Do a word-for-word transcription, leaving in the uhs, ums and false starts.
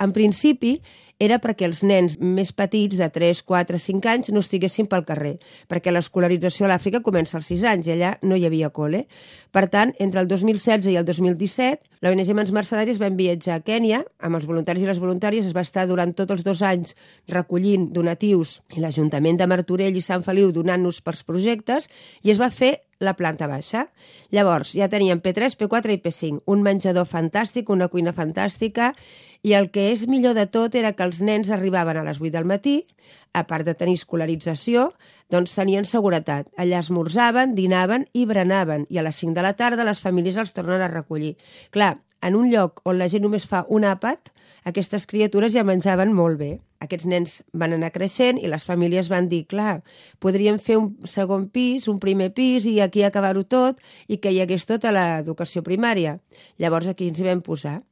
En principi, era perquè els nens més petits, de tres, quatre, cinc anys, no estiguessin pel carrer, perquè l'escolarització a l'Àfrica comença als sis anys i allà no hi havia col·le. Per tant, entre el dos mil setze i el dos mil disset, l'O N G Mans Mercedàries vam viatjar a Kènia, amb els voluntaris i les voluntàries, es va estar durant tots els dos anys recollint donatius i l'Ajuntament de Martorell i Sant Feliu donant-nos pels projectes i es va fer la planta baixa. Llavors, ja teníem P tres, P quatre i P cinc, un menjador fantàstic, una cuina fantàstica, i el que és millor de tot era que els nens arribaven a les vuit del matí, a part de tenir escolarització, doncs tenien seguretat. Allà esmorzaven, dinaven i berenaven, i a les cinc de la tarda les famílies els tornen a recollir. Clar, en un lloc on la gent només fa un àpat, aquestes criatures ja menjaven molt bé. Aquests nens van anar creixent i les famílies van dir, clar, podríem fer un segon pis, un primer pis i aquí acabar-ho tot i que hi hagués tota l'educació primària. Llavors aquí ens hi vam posar.